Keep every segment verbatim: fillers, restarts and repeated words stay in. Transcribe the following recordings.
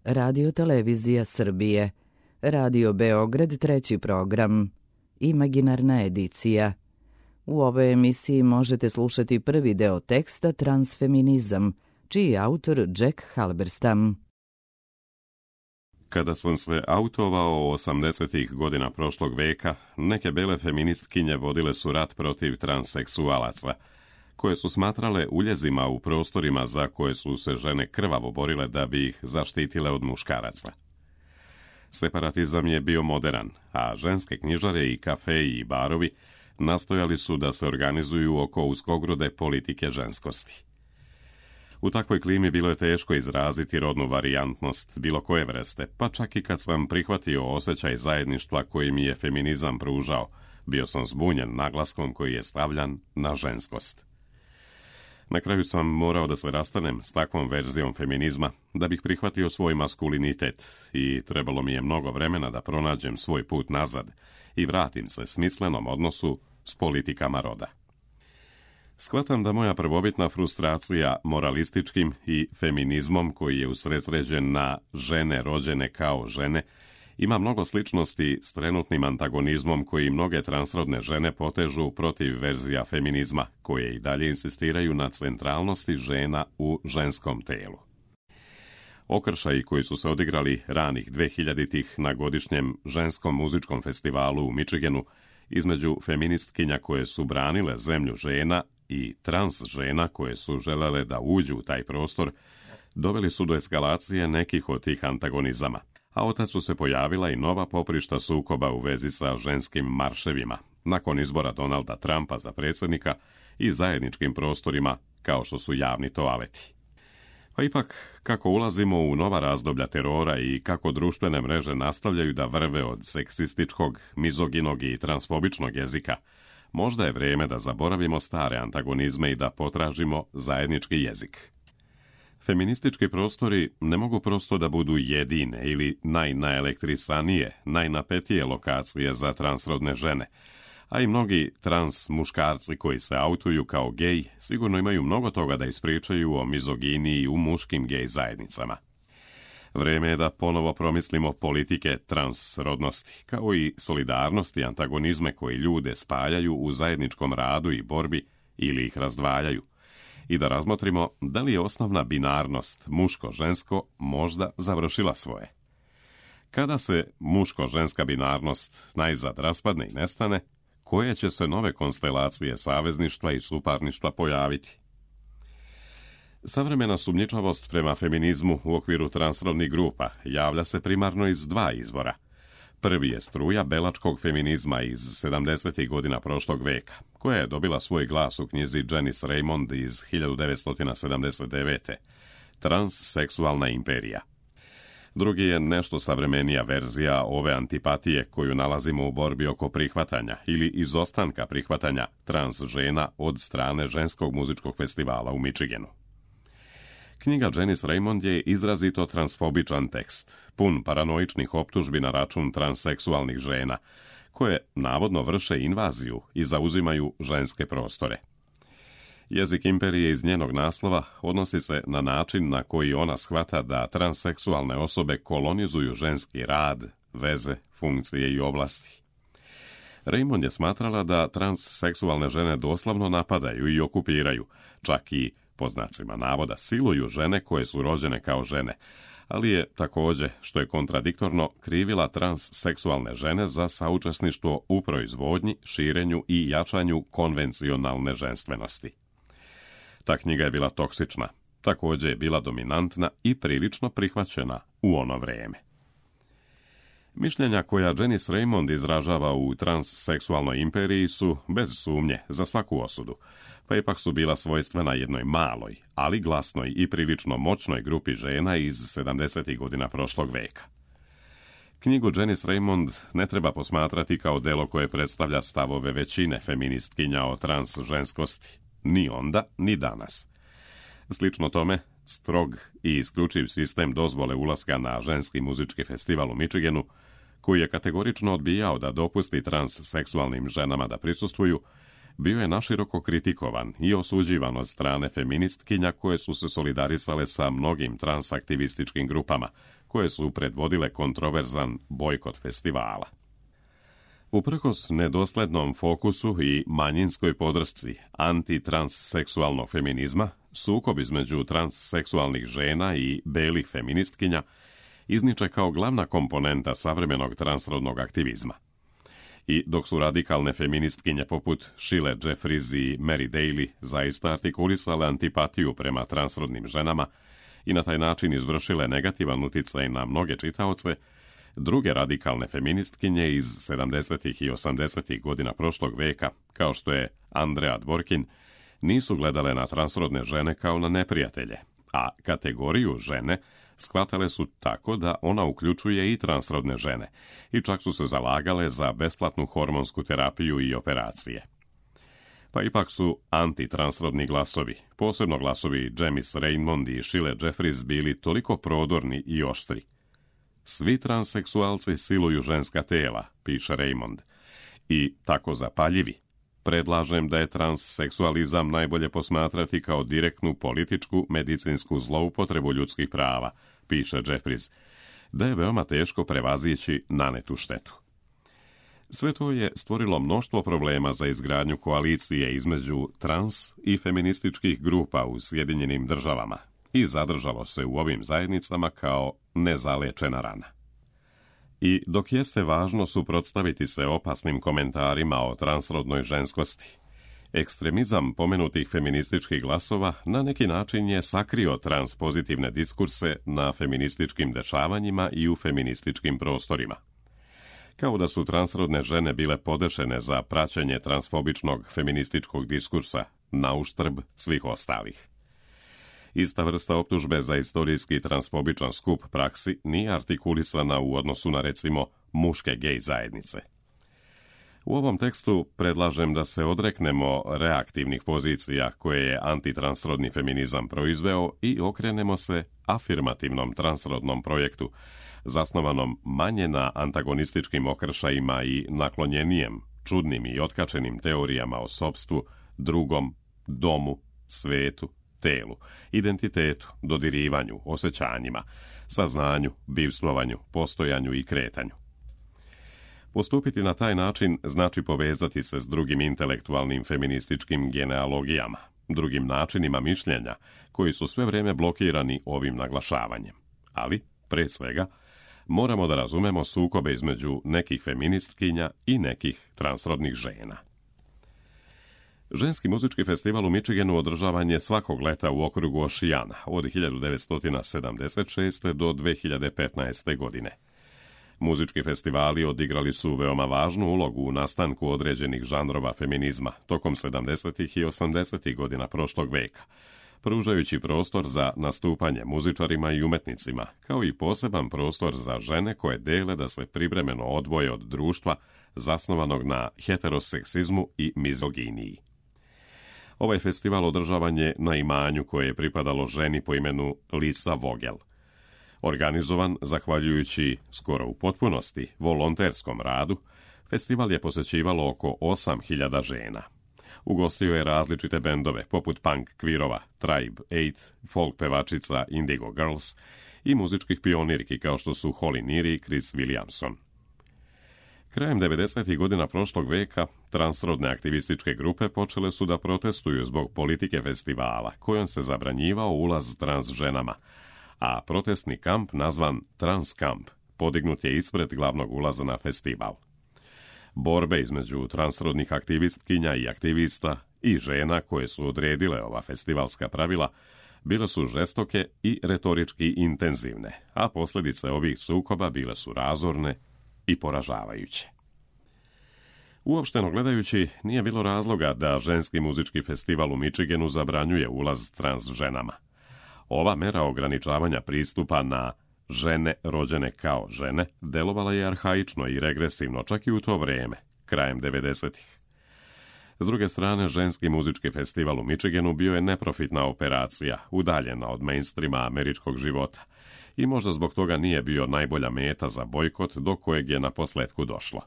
Radio Televizija Srbije, Radio Beograd treći program, Imaginarna edicija. U ovoj emisiji možete slušati prvi deo teksta Transfeminizam, čiji je autor Jack Halberstam. Kada sam se autovao osamdesetih godina prošlog veka, neke bele feministkinje vodile su rat protiv transseksualaca, koje su smatrale uljezima u prostorima za koje su se žene krvavo borile da bi ih zaštitile od muškaraca. Separatizam je bio moderan, a ženske knjižare i kafeji i barovi nastojali su da se organizuju oko uskogrode politike ženskosti. U takvoj klimi bilo je teško izraziti rodnu varijantnost bilo koje vrste, pa čak i kad sam prihvatio osjećaj zajedništva koji mi je feminizam pružao, bio sam zbunjen naglaskom koji je stavljan na ženskost. Na kraju sam morao da se rastanem s takvom verzijom feminizma da bih prihvatio svoj maskulinitet i trebalo mi je mnogo vremena da pronađem svoj put nazad i vratim se smislenom odnosu s politikama roda. Shvatam da moja prvobitna frustracija moralističkim i feminizmom koji je usredsređen na žene rođene kao žene ima mnogo sličnosti s trenutnim antagonizmom koji mnoge transrodne žene potežu protiv verzija feminizma, koje i dalje insistiraju na centralnosti žena u ženskom telu. Okršaji koji su se odigrali ranih dvehiljaditih na godišnjem ženskom muzičkom festivalu u Michiganu između feministkinja koje su branile zemlju žena i trans žena koje su želele da uđu u taj prostor, doveli su do eskalacije nekih od tih antagonizama, a otac su se pojavila i nova poprišta sukoba u vezi sa ženskim marševima, nakon izbora Donalda Trumpa za predsjednika i zajedničkim prostorima kao što su javni toaleti. Pa ipak, kako ulazimo u nova razdoblja terora i kako društvene mreže nastavljaju da vrve od seksističkog, mizoginog i transfobičnog jezika, možda je vrijeme da zaboravimo stare antagonizme i da potražimo zajednički jezik. Feministički prostori ne mogu prosto da budu jedine ili najnaelektrisanije, najnapetije lokacije za transrodne žene, a i mnogi trans muškarci koji se autuju kao gej sigurno imaju mnogo toga da ispričaju o mizoginiji u muškim gej zajednicama. Vrijeme je da ponovo promislimo politike transrodnosti, kao i solidarnosti i antagonizme koji ljude spajaju u zajedničkom radu i borbi ili ih razdvajaju, i da razmotrimo da li je osnovna binarnost muško-žensko možda završila svoje. Kada se muško-ženska binarnost najzad raspadne i nestane, koje će se nove konstelacije savezništva i suparništva pojaviti? Savremena sumnjičavost prema feminizmu u okviru transrodnih grupa javlja se primarno iz dva izvora. Prvi je struja belačkog feminizma iz sedamdesetih godina prošlog veka, koja je dobila svoj glas u knjizi Janice Raymond iz hiljadu devetsto sedamdeset devete. Transseksualna imperija. Drugi je nešto savremenija verzija ove antipatije koju nalazimo u borbi oko prihvatanja ili izostanka prihvatanja trans žena od strane ženskog muzičkog festivala u Michiganu. Knjiga Janice Raymond je izrazito transfobičan tekst, pun paranoičnih optužbi na račun transseksualnih žena, koje navodno vrše invaziju i zauzimaju ženske prostore. Jezik imperije iz njenog naslova odnosi se na način na koji ona shvata da transseksualne osobe kolonizuju ženski rad, veze, funkcije i oblasti. Raymond je smatrala da transseksualne žene doslovno napadaju i okupiraju, čak i po znacima navoda siluju žene koje su rođene kao žene, ali je također, što je kontradiktorno, krivila transseksualne žene za saučesništvo u proizvodnji, širenju i jačanju konvencionalne ženstvenosti. Ta knjiga je bila toksična, također je bila dominantna i prilično prihvaćena u ono vrijeme. Mišljenja koja Janice Raymond izražava u transseksualnoj imperiji su, bez sumnje, za svaku osudu, pa ipak su bila svojstvena jednoj maloj, ali glasnoj i prilično moćnoj grupi žena iz sedamdesetih godina prošlog veka. Knjigu Janice Raymond ne treba posmatrati kao delo koje predstavlja stavove većine feministkinja o trans ženskosti, ni onda, ni danas. Slično tome, strog i isključiv sistem dozvole ulaska na ženski muzički festival u Michiganu, koji je kategorično odbijao da dopusti transseksualnim ženama da prisustvuju, bio je naširoko kritikovan i osuđivan od strane feministkinja koje su se solidarisale sa mnogim transaktivističkim grupama, koje su predvodile kontroverzan bojkot festivala. Uprkos nedoslednom fokusu i manjinskoj podršci antitransseksualnog feminizma, sukob između transseksualnih žena i belih feministkinja izniče kao glavna komponenta savremenog transrodnog aktivizma. I dok su radikalne feministkinje poput Sheila Jeffries i Mary Daly zaista artikulisale antipatiju prema transrodnim ženama i na taj način izvršile negativan uticaj na mnoge čitaoce, druge radikalne feministkinje iz sedamdesetih i osamdesetih godina prošlog veka, kao što je Andrea Dworkin, nisu gledale na transrodne žene kao na neprijatelje, a kategoriju žene shvatale su tako da ona uključuje i transrodne žene i čak su se zalagale za besplatnu hormonsku terapiju i operacije. Pa ipak su antitransrodni glasovi, posebno glasovi Janice Raymond i Sheila Jeffries, bili toliko prodorni i oštri. Svi transseksualci siluju ženska tela, piše Raymond, i tako zapaljivi. Predlažem da je transseksualizam najbolje posmatrati kao direktnu političku medicinsku zloupotrebu ljudskih prava, piše Jeffries, da je veoma teško prevazići nanetu štetu. Sve to je stvorilo mnoštvo problema za izgradnju koalicije između trans i feminističkih grupa u Sjedinjenim državama i zadržalo se u ovim zajednicama kao nezalečena rana. I dok jeste važno suprotstaviti se opasnim komentarima o transrodnoj ženskosti, ekstremizam pomenutih feminističkih glasova na neki način je sakrio transpozitivne diskurse na feminističkim dešavanjima i u feminističkim prostorima. Kao da su transrodne žene bile podešene za praćenje transfobičnog feminističkog diskursa na uštrb svih ostalih. Ista vrsta optužbe za istorijski transfobičan skup praksi nije artikulisana u odnosu na, recimo, muške gej zajednice. U ovom tekstu predlažem da se odreknemo reaktivnih pozicija koje je antitransrodni feminizam proizveo i okrenemo se afirmativnom transrodnom projektu, zasnovanom manje na antagonističkim okršajima i naklonjenijem, čudnim i otkačenim teorijama o sopstvu, drugom, domu, svetu, telu, identitetu, dodirivanju, osjećanjima, saznanju, bivstvovanju, postojanju i kretanju. Postupiti na taj način znači povezati se s drugim intelektualnim feminističkim genealogijama, drugim načinima mišljenja, koji su sve vrijeme blokirani ovim naglašavanjem. Ali, pre svega, moramo da razumemo sukobe između nekih feministkinja i nekih transrodnih žena. Ženski muzički festival u Michiganu održavan je svakog leta u okrugu Ošijana od hiljadu devetsto sedamdeset šeste. do dve hiljade petnaeste. godine. Muzički festivali odigrali su veoma važnu ulogu u nastanku određenih žanrova feminizma tokom sedamdesetih i osamdesetih godina prošlog veka, pružajući prostor za nastupanje muzičarima i umetnicima, kao i poseban prostor za žene koje dele da se privremeno odvoje od društva zasnovanog na heteroseksizmu i mizoginiji. Ovaj festival održavan je na imanju koje je pripadalo ženi po imenu Lisa Vogel. Organizovan, zahvaljujući skoro u potpunosti volonterskom radu, festival je posećivalo oko osam hiljada žena. Ugostio je različite bendove poput punk kvirova, Tribe osam, folk pevačica Indigo Girls i muzičkih pionirki kao što su Holly Neary i Chris Williamson. Krajem devedesetih godina prošlog veka, transrodne aktivističke grupe počele su da protestuju zbog politike festivala, kojom se zabranjivao ulaz trans ženama, a protestni kamp nazvan Trans Kamp podignut je ispred glavnog ulaza na festival. Borbe između transrodnih aktivistkinja i aktivista i žena koje su odredile ova festivalska pravila bile su žestoke i retorički intenzivne, a posljedice ovih sukoba bile su razorne i poražavajuće. Uopšteno gledajući, nije bilo razloga da ženski muzički festival u Michiganu zabranjuje ulaz trans ženama. Ova mera ograničavanja pristupa na žene rođene kao žene delovala je arhaično i regresivno čak i u to vrijeme, krajem devedesetih. S druge strane, ženski muzički festival u Michiganu bio je neprofitna operacija, udaljena od mainstreama američkog života i možda zbog toga nije bio najbolja meta za bojkot do kojeg je na posletku došlo.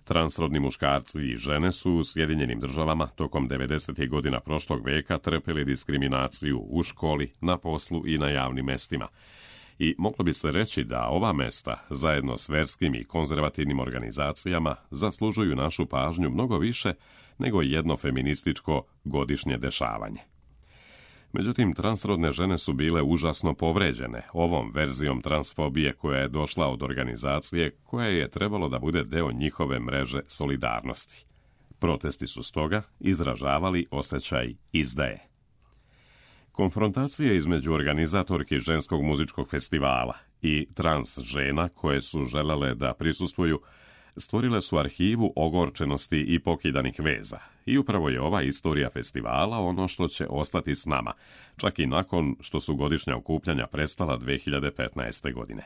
Transrodni muškarci i žene su u Sjedinjenim državama tokom devedesetih godina prošlog veka trpeli diskriminaciju u školi, na poslu i na javnim mestima I moglo bi se reći da ova mesta, zajedno s verskim i konzervativnim organizacijama, zaslužuju našu pažnju mnogo više nego jedno feminističko godišnje dešavanje. Međutim, transrodne žene su bile užasno povređene ovom verzijom transfobije koja je došla od organizacije koja je trebalo da bude deo njihove mreže solidarnosti. Protesti su stoga izražavali osjećaj izdaje. Konfrontacije između organizatorki ženskog muzičkog festivala i trans žena koje su želele da prisustvuju stvorile su arhivu ogorčenosti i pokidanih veza. I upravo je ova istorija festivala ono što će ostati s nama, čak i nakon što su godišnja okupljanja prestala dve hiljade petnaeste. godine.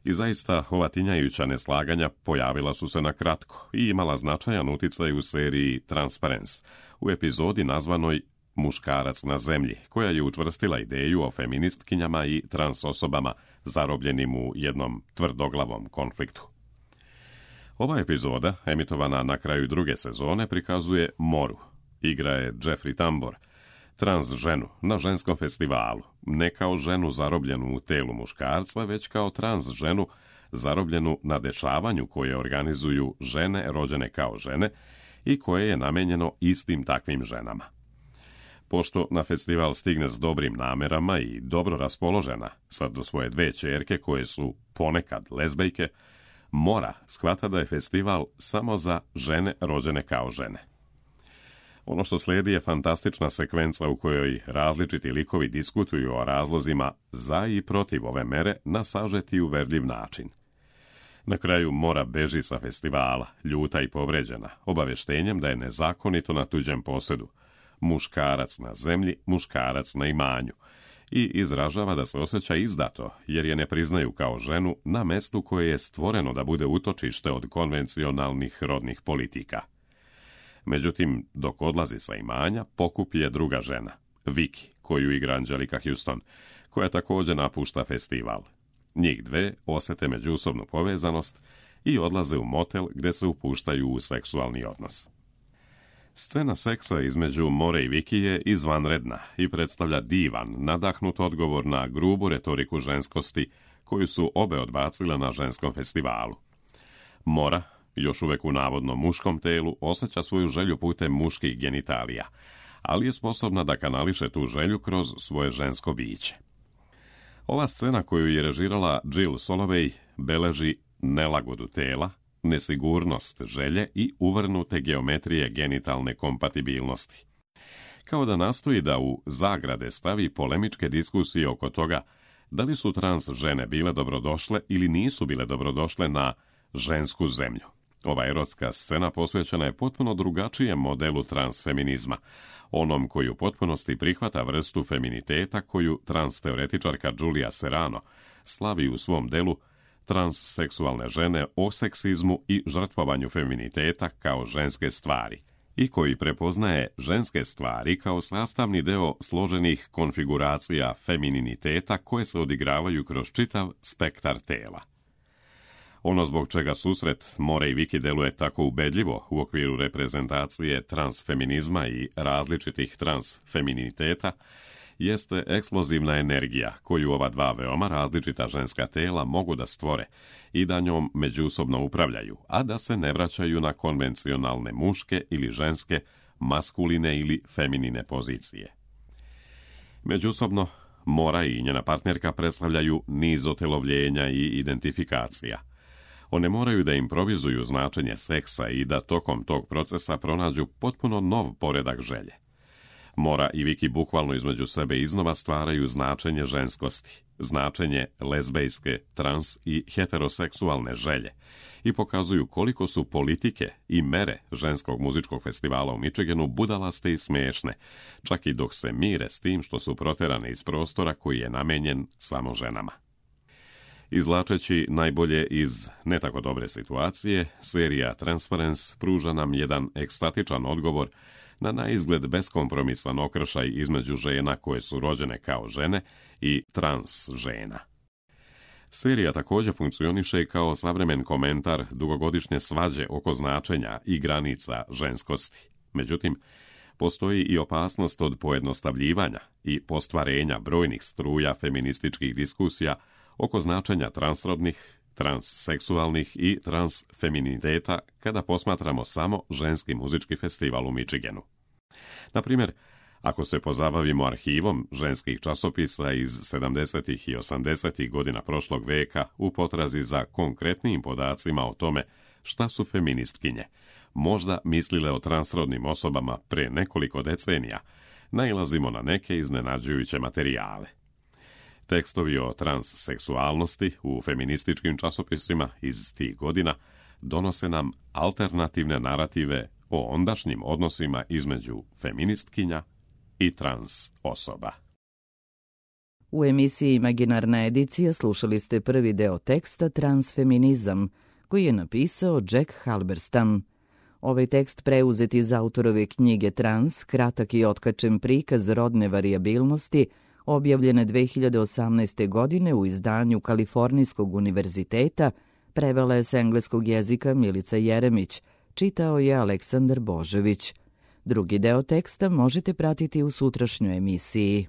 I zaista, ova tinjajuća neslaganja pojavila su se na kratko i imala značajan uticaj u seriji Transparence, u epizodi nazvanoj Muškarac na zemlji, koja je učvrstila ideju o feministkinjama i trans osobama zarobljenim u jednom tvrdoglavom konfliktu. Ova epizoda, emitovana na kraju druge sezone, prikazuje Moru. Igra je Jeffrey Tambor, trans ženu na ženskom festivalu, ne kao ženu zarobljenu u telu muškarca, već kao trans ženu zarobljenu na dešavanju koje organizuju žene rođene kao žene i koje je namenjeno istim takvim ženama. Pošto na festival stigne s dobrim namerama i dobro raspoložena, sad do svoje dve ćerke koje su ponekad lezbejke, Mora shvata da je festival samo za žene rođene kao žene. Ono što slijedi je fantastična sekvenca u kojoj različiti likovi diskutuju o razlozima za i protiv ove mere na sažeti i uverljiv način. Na kraju Mora beži sa festivala, ljuta i povređena, obavještenjem da je nezakonito na tuđem posedu, muškarac na zemlji, muškarac na imanju, i izražava da se osjeća izdato jer je ne priznaju kao ženu na mestu koje je stvoreno da bude utočište od konvencionalnih rodnih politika. Međutim, dok odlazi sa imanja, pokupi je druga žena, Vicky, koju igra Angelika Houston, koja također napušta festival. Njih dve osjete međusobnu povezanost i odlaze u motel gdje se upuštaju u seksualni odnos. Scena seksa između More i Vicky je izvanredna i predstavlja divan, nadahnut odgovor na grubu retoriku ženskosti koju su obe odbacile na ženskom festivalu. Mora, još uvijek u navodno muškom telu, osjeća svoju želju putem muških genitalija, ali je sposobna da kanališe tu želju kroz svoje žensko biće. Ova scena koju je režirala Jill Soloway beleži nelagodu tela, nesigurnost želje i uvrnute geometrije genitalne kompatibilnosti. Kao da nastoji da u zagrade stavi polemičke diskusije oko toga da li su trans žene bile dobrodošle ili nisu bile dobrodošle na žensku zemlju. Ova erotska scena posvećena je potpuno drugačijem modelu transfeminizma, onom koji u potpunosti prihvata vrstu feminiteta koju transteoretičarka Julia Serano slavi u svom delu Transseksualne žene o seksizmu i žrtvovanju feminiteta kao ženske stvari i koji prepoznaje ženske stvari kao sastavni deo složenih konfiguracija femininiteta koje se odigravaju kroz čitav spektar tela. Ono zbog čega susret More i Vicky deluje tako ubedljivo u okviru reprezentacije transfeminizma i različitih transfeminiteta jeste eksplozivna energija koju ova dva veoma različita ženska tela mogu da stvore i da njom međusobno upravljaju, a da se ne vraćaju na konvencionalne muške ili ženske, maskuline ili feminine pozicije. Međusobno, Mora i njena partnerka predstavljaju niz otelovljenja i identifikacija. One moraju da improvizuju značenje seksa i da tokom tog procesa pronađu potpuno nov poredak želje. Mora i Vicky bukvalno između sebe iznova stvaraju značenje ženskosti, značenje lezbejske, trans i heteroseksualne želje i pokazuju koliko su politike i mere ženskog muzičkog festivala u Michiganu budalaste i smiješne, čak i dok se mire s tim što su proterane iz prostora koji je namenjen samo ženama. Izvlačeći najbolje iz ne tako dobre situacije, serija Transparence pruža nam jedan ekstatičan odgovor na naizgled beskompromisan okršaj između žena koje su rođene kao žene i trans žena. Serija također funkcioniše kao savremen komentar dugogodišnje svađe oko značenja i granica ženskosti. Međutim, postoji i opasnost od pojednostavljivanja i postvarenja brojnih struja feminističkih diskusija oko značenja transrodnih, transseksualnih i transfeminiteta kada posmatramo samo ženski muzički festival u Michiganu. Na primjer, ako se pozabavimo arhivom ženskih časopisa iz sedamdesetih i osamdesetih godina prošlog veka u potrazi za konkretnijim podacima o tome šta su feministkinje, možda mislile o transrodnim osobama pre nekoliko decenija, nailazimo na neke iznenađujuće materijale. Tekstovi o transseksualnosti u feminističkim časopisima iz tih godina donose nam alternativne narative o ondašnjim odnosima između feministkinja i trans osoba. U emisiji Imaginarna edicija slušali ste prvi deo teksta Transfeminizam, koji je napisao Jack Halberstam. Ovaj tekst preuzet iz autorove knjige Trans, kratak i otkačen prikaz rodne varijabilnosti, objavljene dve hiljade osamnaeste. godine u izdanju Kalifornijskog univerziteta, prevela je s engleskog jezika Milica Jeremić, čitao je Aleksandar Božević. Drugi deo teksta možete pratiti u sutrašnjoj emisiji.